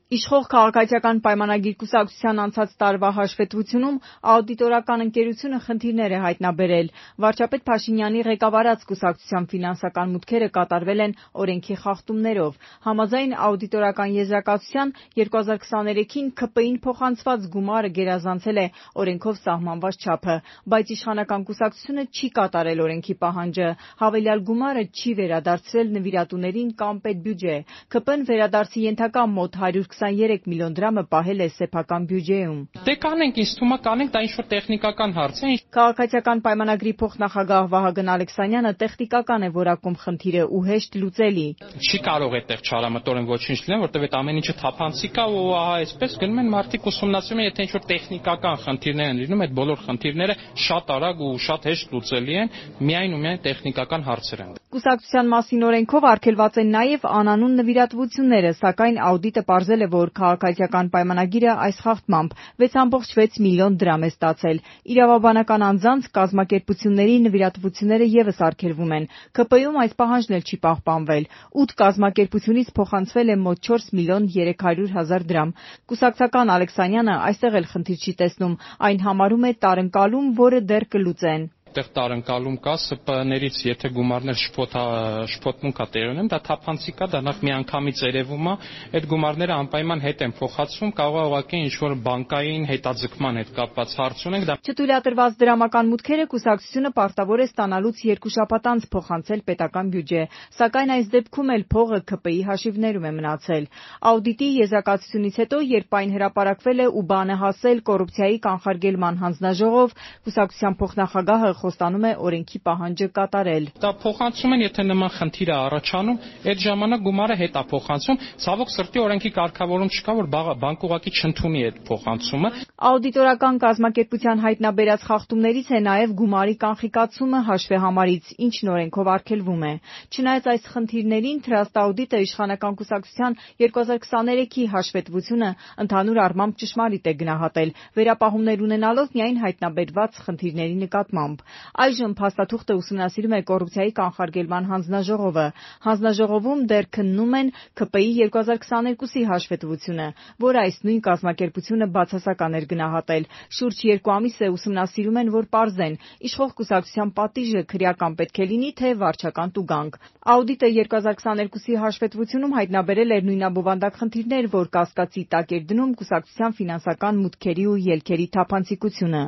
Իշխող քաղաքացիական պայմանագիր կուսակցության անցած տարվա հաշվետվությունում աուդիտորական ընկերությունը խնդիրներ է հայտնաբերել։ Վարչապետ Փաշինյանի ղեկավարած կուսակցության ֆինանսական մուտքերը կատարվել են օրենքի խախտումներով։ Համաձայն աուդիտորական եզրակացության 2023-ին ՔՊ-ին փոխանցված գումարը գերազանցել է օրենքով սահմանված չափը, բայց իշխանական կուսակցությունը չի կատարել օրենքի պահանջը։ Հավելյալ գումարը չի վերադարձրել նվիրատուներին կամ պետբյուջե։ ՔՊ-ն վերադարձի ենթակա մոտ 123 միլիոն դրամը պահել է սեփական բյուջեում։ Դե կանենք, ինձ թվում է կանենք, դա ինչ-որ տեխնիկական հարց է։ Քաղաքացիական պայմանագրի փոխնախագահ Վահագն Ալեքսանյանը տեխնիկական է որակում խնդիրը ու հեշտ լուծելի։ Չի կարող այդտեղ չարամտորեն ոչինչ լինել, որտեղ այդ ամեն ինչը թափանցիկ է ու ահա այսպես գնում են մարդիկ ուսումնասիրում են, եթե ինչ-որ տեխնիկական խնդիրներ են լինում, այդ բոլոր խնդիրները շատ արագ ու շատ հեշտ լուծելի են, միայն ու միայն տեխնիկական հարցեր են։ Կուսակցության մասին օրենքով արգելված են նաև անանուն նվիրատվությունները, սակայն աուդիտը պարզել է, որ քաղաքացիական պայմանագիրը այս խախտմամբ 6.6 միլիոն դրամ է ստացել։ Իրավաբանական անձանց կազմակերպությունների նվիրատվությունները ևս արգելվում են։ ՔՊ-ում այս պահանջն էլ չի պահպանվել։ 8 կազմակերպությունից փոխանցվել է մոտ 4 միլիոն 300 հազար դրամ։ Կուսակցական Ալեքսանյանը այստեղ էլ խնդիր չի տեսնում, այն համարում է տարընկալում, որը դեռ կլուծեն։ Այդտեղ տարընկալում կա ՍՊ-ներից, եթե գումարներ շփոթմունք է տեղի ունենում, դա թափանցիկ է, դա նախ միանգամից երևում է, այդ գումարները անպայման հետ են փոխանցվում, կարող է ուղղակի ինչ-որ բանկային հետաձգման հետ կապված հարց ունենք։ Չթույլատրված դրամական մուտքերը կուսակցությունը պարտավոր է ստանալուց 2 շաբաթ անց փոխանցել պետական բյուջե, սակայն այս դեպքում էլ փողը ՔՊ-ի հաշիվներում է մնացել։ Աուդիտի եզրակացությունից հետո, երբ այն հրապարակվել է ու բան է հասել կոռուպցիայի կանխարգելման հանձնաժողով, կուսակցության փոխնախագահը խոստանում է օրենքի պահանջը կատարել։ Դա փոխանցում են, եթե նման խնդիր է առաջանում, այդ ժամանակ գումարը հետ է փոխանցում։ Ցավոք սրտի օրենքի կարգավորում չկա, որ բանկը ուղղակի չընդունի այդ փոխանցումը։ Աուդիտորական կազմակերպության հայտնաբերած խախտումներից է նաև գումարի կանխիկացումը հաշվեհամարից, ինչն օրենքով արգելվում է։ Չնայած այս խնդիրներին, Trust Audit-ը իշխանական կուսակցության 2023-ի հաշվետվությունը ընդհանուր առմամբ ճշմարիտ է գնահատել, վերապահումներ ունենալով միայն հայտնաբերված խնդիրների նկատմամբ։ Այժմ փաստաթուղթը ուսումնասիրում է կոռուպցիայի կանխարգելման հանձնաժողովը։ Հանձնաժողովում դեռ քննում են ՔՊ-ի 2022-ի հաշվետվությունը, որ այս նույն կազմակերպությունը բացասական էր գնահատել։ Շուրջ 2 ամիս է ուսումնասիրում են, որ պարզեն իշխող կուսակցության պատիժը քրեական պետք է լինի, թե վարչական տուգանք։ Աուդիտը 2022-ի հաշվետվությունում հայտնաբերել էր նույնաբովանդակ խնդիրներ, որ կասկածի տակ էր դնում կուսակցության ֆինանսական մուտքերի ու ելքերի թափանցիկությունը։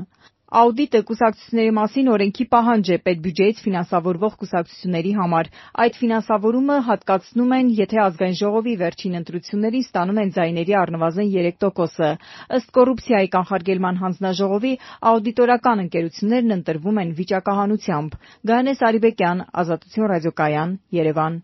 Աուդիտը կուսակցությունների մասին օրենքի պահանջ է պետբյուջեից ֆինանսավորվող կուսակցությունների համար։ Այդ ֆինանսավորումը հատկացնում են, եթե Ազգային ժողովի վերջին ընտրություններին ստանում են ձայների առնվազն 3%-ը։ Ըստ կոռուպցիայի կանխարգելման հանձնաժողովի, աուդիտորական ընկերություններն ընտրվում են վիճակահանությամբ։ Գայանե Սարիբեկյան, Ազատություն ռադիոկայան, Երևան։